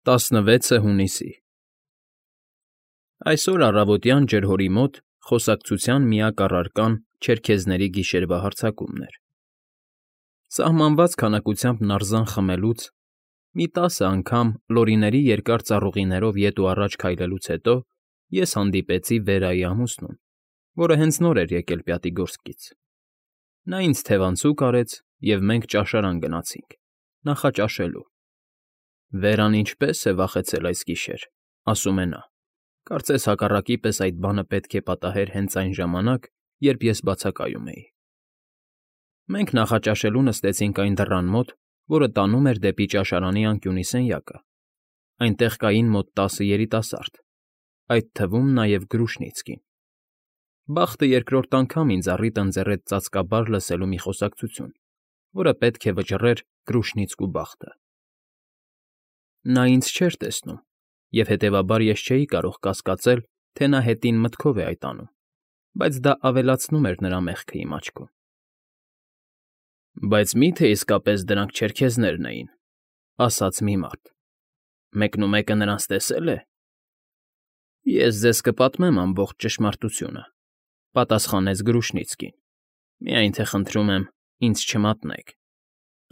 16 հունիսի Այսօր առավոտյան ջրհորի մոտ խոսակցության միակ առարկան չերքեզների գիշերվա հարձակումն էր. սահմանված քանակությամբ նարզան խմելուց, մի 10 անգամ լորիների երկար ծառուղիներով ետ ու առաջ քայլելուց հետո ես հանդիպեցի Վերայի ամուսնուն, որը հենց նոր էր եկել Պյատիգորսկից. նա ինձ թևանցուկ արեց, և մենք ճաշարան գնացինք, նախաճաշելու։ Վերան ինչպե՜ս է վախեցել այս գիշեր, ասում է նա, կարծես հակառակի պես այդ բանը պետք է պատահեր հենց այն ժամանակ, երբ ես բացակայում էի։ Մենք նախաճաշելու նստեցինք այն դռան մոտ, որը տանում էր դեպի ճաշարանի անկյունի սենյակը. այնտեղ կային մոտ 10 երիտասարդ, այդ թվում նաև Գրուշնիցկին։ Բախտը երկրորդ անգամ ինձ առիթ ընձեռեց ծածկաբար լսելու մի խոսակցություն, որը պետք է վճռեր Գրուշնիցկու բախտը։ Նա ինձ չէր տեսնում, և հետևաբար ես չէի կարող կասկածել, թե նա հետին մտքով է այդ անում, բայց դա ավելացնում էր նրա մեղքը իմ աչքում։ Բայց մի՞թե իսկապես դրանք չերքեզներն էին, ասաց մի մարդ։ Մեկնումեկը նրանց տեսե՞լ է։ Ես ձեզ կպատմեմ ամբողջ ճշմարտությունը, պատասխանեց Գրուշնիցկին, միայն թե խնդրում եմ, ինձ չմատնեք։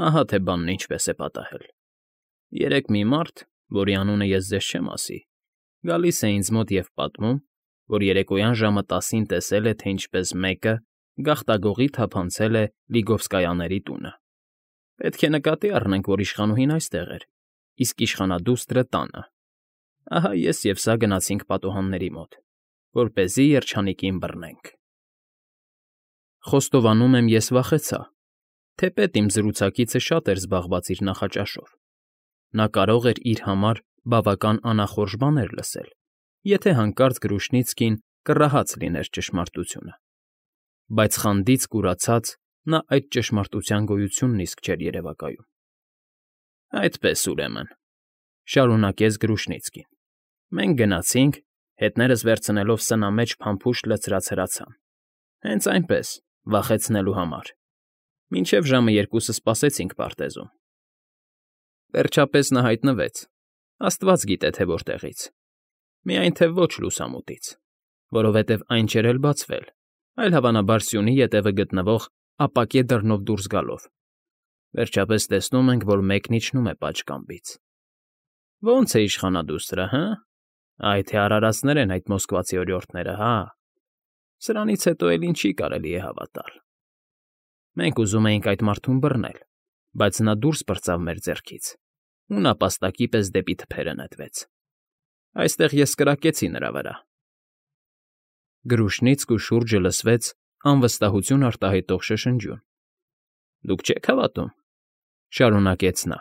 Ահա թե բանն ինչպես է պատահել։ Երեկ մի մարդ, որի անունը ես ձեզ չեմ ասի, գալիս է ինձ մոտ և պատմում, որ երեկոյան ժամը 10-ին տեսել է, թե ինչպես մեկը գաղտագողի թափանցել է Լիգովսկայաների տունը։ Պետք է նկատի առնենք, որ իշխանուհին այստեղ էր, իսկ իշխանադուստրը տանը։ Ահա ես և սա գնացինք պատուհանների մոտ, որպեսզի երջանիկին բռնենք։ Խոստովանում եմ, ես վախեցա, թեպետ իմ զրուցակիցը շատ էր զբաղված իր նախաճաշով։ Նա կարող էր իր համար բավական անախորժ բաներ լսել, եթե հանկարծ Գրուշնիցկին կռահաց լիներ ճշմարտությունը։ Բայց խանդից կուրացած նա այդ ճշմարտության գոյությունն իսկ չէր երևակայում։ Այդպես, ուրեմն, շարունակեց Գրուշնիցկին, մենք գնացինք, հետներս վերցնելով սնամեջ փամփուշտ լցրած հրացան։ Հենց այնպես, վախեցնելու համար։ Մինչև ժամը 2-ը սպասեցինք պարտեզում։ Վերջապես նա հայտնվեց, աստված գիտե թե որտեղից, միայն թե ոչ լուսամուտից, որովհետև այն չէր էլ բացվել, այլ հավանաբար սյունի ետևը գտնվող ապակե դռնով դուրս գալով։ Վերջապես տեսնում ենք, որ մեկն իջնում է պատշգամբից։ Ո՞նց է իշխանադուստրը, հը՞։ Այ թե արարածներ են այդ մոսկվացի օրիորդները, հա։ Սրանից հետո էլ ինչի կարելի է հավատալ։ Մենք ուզում էինք այդ մարդուն բռնել, բայց նա դուրս պրծավ մեր ձեռքից ու նապաստակի պես դեպի թփերը նետվեց։ Այստեղ ես կրակեցի նրա վրա։ Գրուշնիցկու շուրջը լսվեց անվստահություն արտահայտող շշնջյուն։ Դուք չեք հավատում, շարունակեց նա։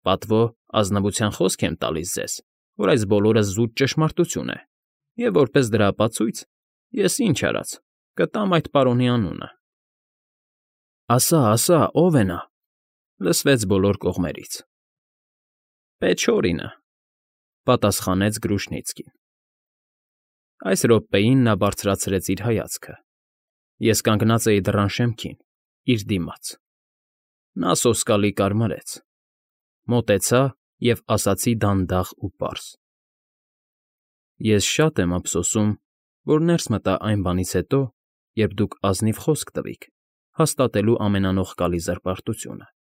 Պատվո ազնվության խոսք եմ տալիս ձեզ, որ այս բոլորը զուտ ճշմարտություն է, և որպես դրա ապացույց ես ինչ արած, կտամ այդ պարոնի անունը։ Ասա, ով է նա, լսվեց բոլոր կողմերից։ Պեչորինը, պատասխանեց Գրուշնիցկին։ Այս րոպեին նա բարձրացրեց իր հայացքը։ Ես կանգնած էի դռան շեմքին, իր դիմաց։ Նա սոսկալի կարմրեց, մոտեցա և ասացի դանդաղ ու պարզ. Ես շատ եմ ափսոսում, որ ներս մտա այն բանից հետո, երբ դուք ազնիվ խոսք տվիք, հաստատելու ամենանողկալի զրպարտությունը։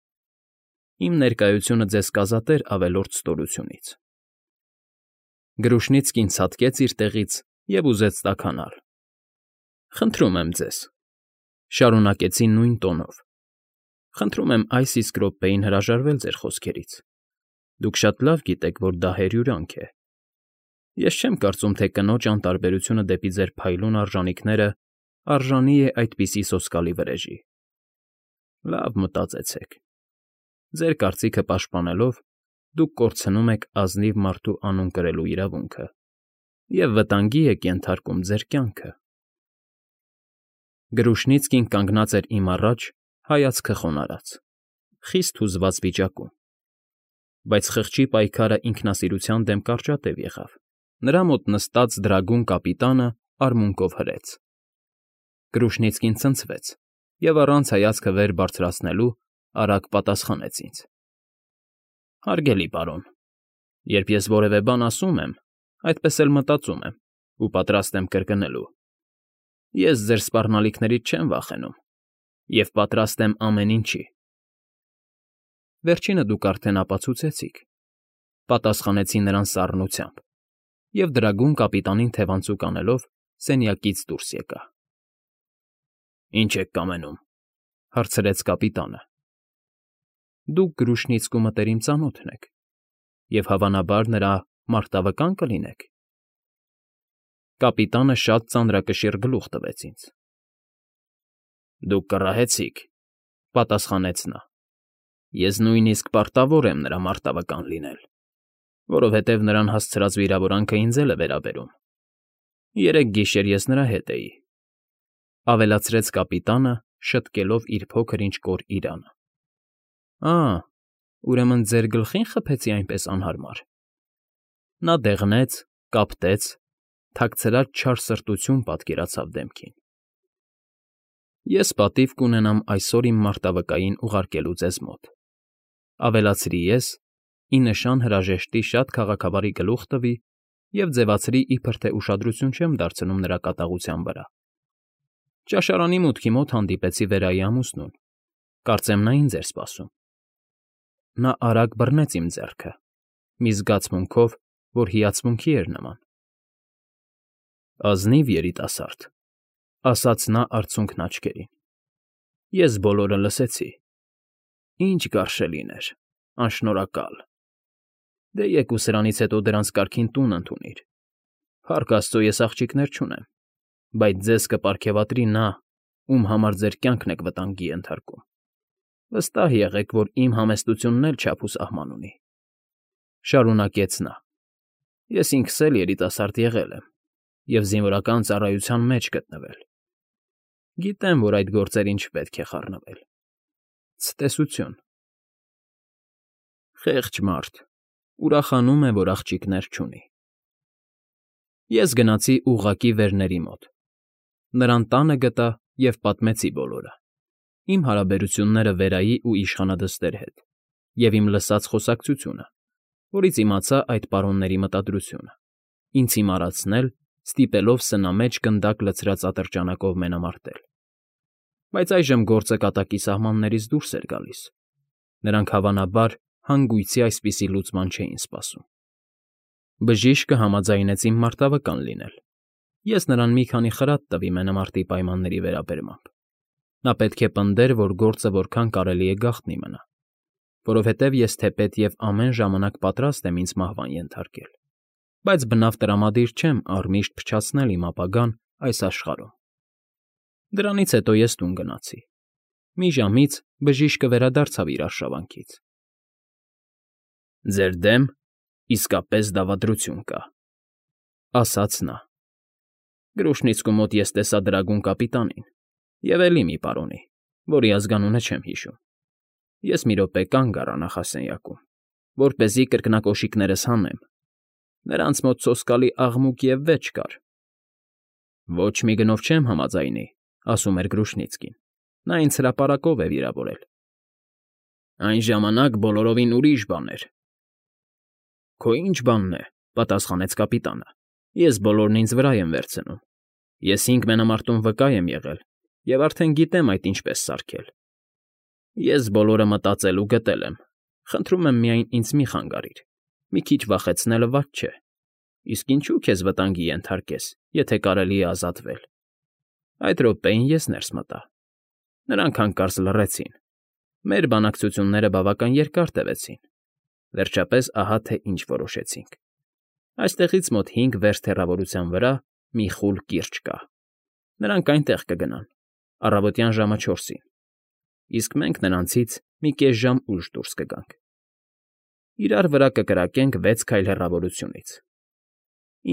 Իմ ներկայությունը ձեզ կազատեր ավելորդ ստորությունից։ Գրուշնիցկին ցատկեց իր տեղից և ուզեց տաքանալ։ Խնդրում եմ ձեզ, շարունակեցի նույն տոնով, խնդրում եմ այս իսկ րոպեին հրաժարվել ձեր խոսքերից։ Դուք շատ լավ գիտեք, որ դա հերյուրանք է։ Ես չեմ կարծում, թե կնոջ անտարբերությունը դեպի ձեր փայլուն արժանիքները արժանի է այդպիսի սոսկալի վրեժի։ Լավ մտածեցեք։ Ձեր կարծիքը պաշտպանելով, դուք կորցնում եք ազնիվ մարդու անուն կրելու իրավունքը և վտանգի եք ենթարկում ձեր կյանքը։ Գրուշնիցկին կանգնած էր իմ առաջ, հայացքը խոնարհած, խիստ հուզված վիճակում։ Բայց խղճի պայքարը ինքնասիրության դեմ կարճատև եղավ։ Նրա մոտ նստած դրագուն կապիտանը արմունկով հրեց։ Գրուշնիցկին ցնցվեց և առանց հայացքը վեր բարձրացնելու արագ պատասխանեց ինձ. Հարգելի պարոն, Երբ ես որևէ բան ասում եմ, այդպես էլ մտածում եմ ու պատրաստ եմ կրկնելու. ես ձեր սպառնալիքներից չեմ վախենում և պատրաստ եմ ամեն ինչի։ Վերջինը դուք արդեն ապացուցեցիք, պատասխանեցի նրան սառնությամբ, և դրագուն կապիտանին թևանցուկ անելով սենյակից դուրս եկա։ Ինչ եք կամենում, հարցրեց կապիտանը։ Դուք Գրուշնիցկու մտերիմ ծանոթն եք, և հավանաբար նրա մարտավկա՞ն կլինեք։ Կապիտանը շատ ծանրակշիռ գլուխ տվեց ինձ։ Դուք կռահեցիք, պատասխանեց նա։ Ես նույնիսկ պարտավոր եմ նրա մարտավկան լինել, որովհետև նրան հասցրած վիրավորանքը ինձ էլ է վերաբերում։ Երեկ գիշեր ես նրա հետ էի, ավելացրեց կապիտանը, շտկելով իր փոքր-ինչ կոր իրանը։ Ուրեմն ձեր գլխի՞ն խփեցի այնպես անհարմար։ Նա դեղնեց, կապտեց, թաքցրած չար սրտություն պատկերացավ դեմքին։ Ես պատիվ կունենամ այսօր իմ մարտավկային ուղարկելու ձեզ մոտ, ավելացրի ես, ի նշան հրաժեշտի շատ քաղաքավարի գլուխ տվի և ձևացրի, իբր թե ուշադրություն չեմ դարձնում նրա կատաղության վրա։ Ճաշարանի մուտքի մոտ հանդիպեցի Վերայի ամուսնուն, կարծեմ նա ինձ էր սպասում։ Նա արագ բռնեց իմ ձեռքը, մի զգացմունքով, որ հիացմունքի էր նման։ Ազնիվ երիտասարդ, ասաց նա արցունքն աչքերին։ Ես բոլորը լսեցի։ Ինչ գարշելին էր, անշնորհակալ։ Դե եկու սրանից հետո դրանց կարգին տուն ընդունիր։ Փառք Աստծո, ես աղջիկներ չունեմ, բայց ձեզ կպարգևատրի նա, ում համար ձեր կյանքն եք վտանգի ենթարկում։ Վստահ եղեք, որ իմ համեստությունն էլ չափ ու սահման ունի։ Շարունակեց նա. Ես ինքս էլ երիտասարդ եղել եմ և զինվորական ծառայության մեջ գտնվել։ Գիտեմ, որ այդ գործերին չպետք է խառնվել։ Ցտեսություն։ Խեղճ մարդ, ուրախանում է, որ աղջիկներ չունի։ Ես գնացի ուղղակի Վերների մոտ։ Նրան տանը գտա և պատմեցի բոլորը. իմ հարաբերությունները Վերայի ու իշխանադստեր հետ, և իմ լսած խոսակցությունը, որից իմացա այդ պարոնների մտադրությունը, ինձ հիմարացնել, ստիպելով սնամեջ գնդակ լցրած ատրճանակով մենամարտել։ Բայց այժմ գործը կատակի սահմաններից դուրս էր գալիս։ Նրանք հավանաբար հանգույցի այսպիսի լուծման չէին սպասում։ Բժիշկը համաձայնեց իմ մարտավկան լինել։ Ես նրան մի քանի խրատ տվի մենամարտի պայմանների վերաբերմամբ։ Նա պետք է պնդեր, որ գործը որքան կարելի է գաղտնի մնա, որովհետև ես թեպետ և ամեն ժամանակ պատրաստ եմ ինձ մահվան ենթարկել, բայց բնավ տրամադիր չեմ առմիշտ փչացնել իմ ապագան այս աշխարհում։ Դրանից հետո ես տուն գնացի։ Մի ժամից բժիշկը վերադարձավ իր արշավանքից։ Ձեր դեմ իսկապես դավադրություն կա, ասաց նա։ Գրուշնիցկու մոտ ես տեսա դրագուն կապիտանին և էլի մի պարոնի, որի ազգանունը չեմ հիշում։ Ես մի րոպե կանգ առա նախասենյակում, որպեսզի կրկնակոշիկներս հանեմ։ Նրանց մոտ սոսկալի աղմուկ և վեճ կար։ Ոչ մի գնով չեմ համաձայնի, ասում էր Գրուշնիցկին։ Նա ինձ հրապարակով է վիրավորել։ Այն ժամանակ բոլորովին ուրիշ բան էր։ Քո ի՞նչ բանն է, պատասխանեց կապիտանը։ Ես բոլորն ինձ վրա եմ վերցնում։ Ես 5 մենամարտում վկա եմ եղել և արդեն գիտեմ այդ ինչպես սարքել։ Ես բոլորը մտածել ու գտել եմ։ Խնդրում եմ միայն ինձ մի խանգարիր։ Մի քիչ վախեցնելը վատ չէ։ Իսկ ինչու քեզ վտանգի ենթարկես, եթե կարելի է ազատվել։ Այդ րոպեին ես ներս մտա։ Նրանք հանկարծ լռեցին։ Մեր բանակցությունները բավական երկար տևեցին։ Վերջապես ահա թե ինչ որոշեցինք։ Այստեղից մոտ 5 վերստ հեռավորության վրա մի խուլ կիրճ կա։ Նրանք այնտեղ կգնան, առավոտյան ժամը 4-ին, իսկ մենք նրանցից մի կես ժամ ուշ դուրս կգանք։ Իրար վրա կկրակենք 6 քայլ հեռավորությունից։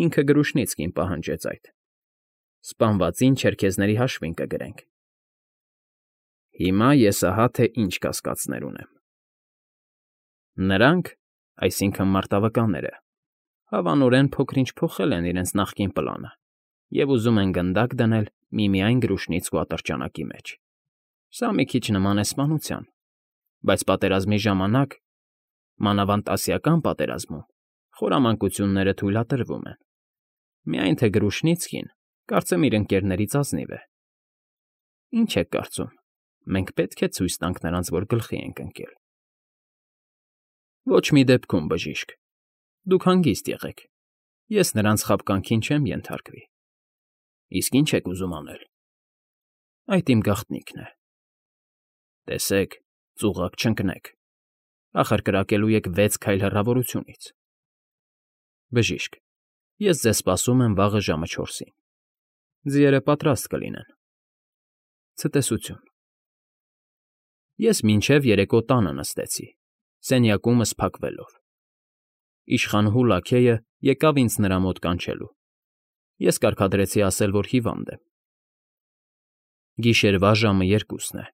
Ինքը Գրուշնիցկին պահանջեց այդ։ Սպանվածին չերքեզների հաշվին կգրենք։ Հիմա ես ահա թե ինչ կասկածներ ունեմ։ Նրանք, այսինքն մարտավկանները, հավանորեն փոքր-ինչ փոխել են իրենց նախկին պլանը և ուզում են գնդակ դնել միմիայն Գրուշնիցկու ատրճանակի մեջ։ Սա մի քիչ նման է սպանության, բայց պատերազմի ժամանակ, մանավանդ Ասիական պատերազմում, Խորամանկությունները թույլատրվում են։ Միայն թե Գրուշնիցկին, կարծեմ իր ընկերներից ազնիվ է։ Ինչ եք կարծում, մենք պետք է ցույց տանք նրանց, որ գլխի ենք ընկել։ Ոչ մի դեպքում, բժիշկ, դուք հանգիստ եղեք, ես նրանց խաբկանքին չեմ ենթարկվի։ Իսկ ինչ եք ուզում անել։ Այդ իմ գաղտնիքն է։ Տեսեք, ծուղակ չընկնեք, ախր կրակելու եք 6 քայլ հեռավորությունից։ Բժիշկ, ես ձեզ սպասում եմ վաղը ժամը 4-ին։ Ձիերը պատրաստ կլինեն։ Ցտեսություն։ Ես մինչև երեկո տանը նստեցի, սենյակումս փակվելով։ Իշխանհու լաքեյը եկավ ինձ նրա մոտ կանչելու։ Ես կարգադրեցի ասել, որ հիվանդ եմ։ Գիշերվա ժամը 2-ն է։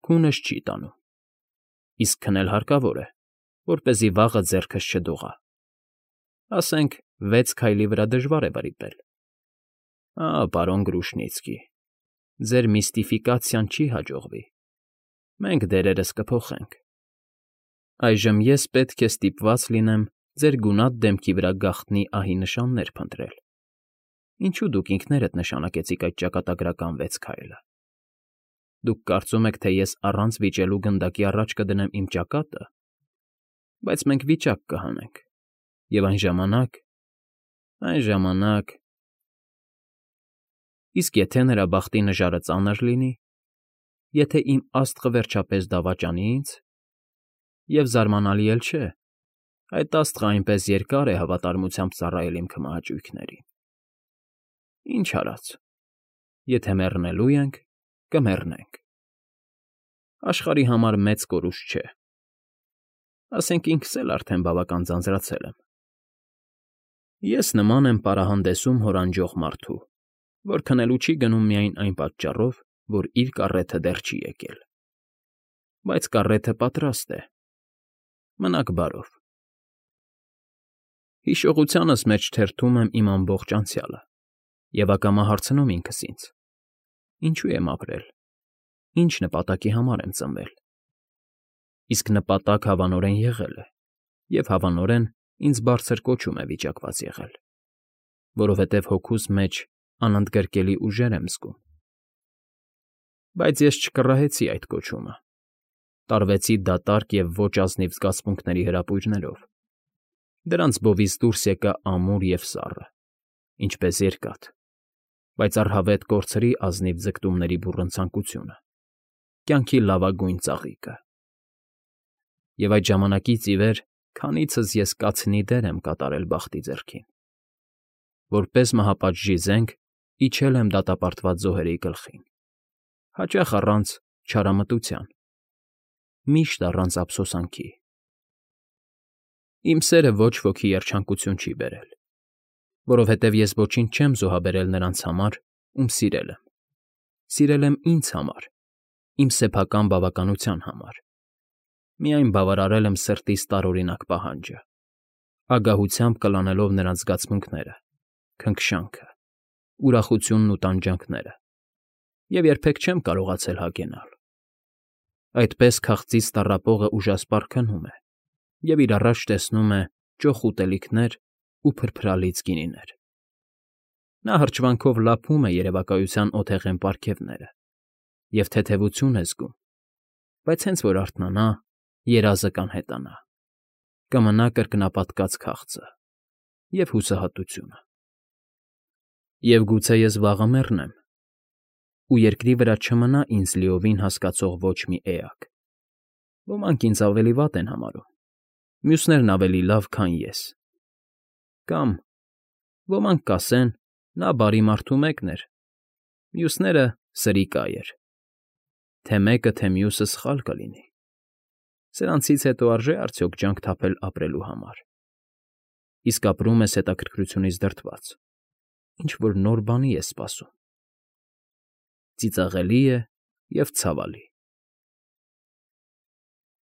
Քունս չի տանում։ Իսկ քնել հարկավոր է, որպեսզի վաղը ձեռքս չդողա։ Ասենք 6 քայլի վրա դժվար է վրիպել։ Պարոն Գրուշնիցկի, ձեր միստիֆիկացիան չի հաջողվի։ Մենք դերերս կփոխենք։ Այժմ ես պետք է ստիպված լինեմ ձեր գունատ դեմքի վրա գաղտնի ահի նշաններ փնտրել։ Ինչու դուք ինքներդ նշանակեցիք այդ ճակատագրական 6 քայլը։ Դուք կարծում եք, թե ես առանց վիճելու գնդակի առաջ կդնեմ իմ ճակատը, բայց մենք վիճակ կհանենք, և այն ժամանակ… Իսկ եթե նրա բախտի նժարը ծանր լինի, եթե իմ աստղը վերջապես դավաճանի ինձ, և զարմանալի էլ չէ, այդ աստղը այնպես երկար է հավատարմությամբ ծառայել իմ քմահաճույքներին… Ինչ արած, եթե մեռնելու ենք, կմեռնենք։ Աշխարհի համար մեծ կորուստ չէ։ Ասենք ինքս էլ արդեն բավական ձանձրացել եմ։ Ես նման եմ պարահանդեսում հորանջող մարդու, որ քնելու չի գնում միայն այն պատճառով, որ իր կառեթը դեռ չի եկել։ Բայց կառեթը պատրաստ է։ Մնաք բարով։ Հիշողությանս մեջ թերթում եմ իմ ամբողջ անցյալը և ակամա հարցնում ինքս ինձ. ինչու եմ ապրել, ինչ նպատակի համար եմ ծնվել։ Իսկ նպատակ հավանորեն եղել է, և հավանորեն ինձ բարձր կոչում է վիճակված եղել, որովհետև հոգուս մեջ անընդգրկելի ուժեր եմ զգում։ Բայց ես չկռահեցի այդ կոչումը, տարվեցի դատարկ և ոչ ազնիվ զգացմունքների հրապույրներով։ Դրանց բովից դուրս եկա ամուր և սառը, ինչպես երկաթ, բայց առհավետ կորցրի ազնիվ ձգտումների բուռն ցանկությունը, կյանքի լավագույն ծաղիկը։ Եվ այդ ժամանակից ի վեր քանիցս ես կացնի դեր եմ կատարել բախտի ձեռքին։ Որպես մահապատժի զենք իջել եմ դատապարտված զոհերի գլխին, հաճախ առանց չարամտության, միշտ առանց ափսոսանքի։ Իմ սերը ոչ ոքի երջանկություն չի բերել, որովհետև ես ոչինչ չեմ զոհաբերել նրանց համար, ում սիրել եմ։ Սիրել եմ ինձ համար, իմ սեփական բավականության համար։ Միայն բավարարել եմ սրտիս տարօրինակ պահանջը, ագահությամբ կլանելով նրանց զգացմունքները, քնքշանքը, ուրախությունն ու տանջանքները, և երբեք չեմ կարողացել հագենալ։ Այդպես քաղցից տառապողը ուժասպառ քնում է և իր առաջ տեսնում է ճոխ ուտելիքներ ու փրփրալից գինիներ։ Նա հրճվանքով լափում է երևակայության օթեղեն պարգևները և թեթևություն է զգում, բայց հենց որ արթնանա, երազը կանհետանա, կմնա կրկնապատկած քաղցը և հուսահատությունը։ Եվ գուցե ես վաղը մեռնեմ, ու երկրի վրա չմնա ինձ լիովին հասկացող ոչ մի էակ։ Ոմանք ինձ ավելի վատ են համարում, մյուսներն ավելի լավ, քան ես։ Կամ ոմանք կասեն. նա բարի մարդու մեկն էր, մյուսները՝ սրիկայր, թե մեկը, թե մյուսը սխալ կլինի։ Սրանցից հետո արժե՞ արդյոք ջանք թափել ապրելու համար։ Իսկ ապրում ես հետաքրքրությունից դրդված, ինչ֊որ նոր բանի ես սպասում։ Ծիծաղելի է և ցավալի։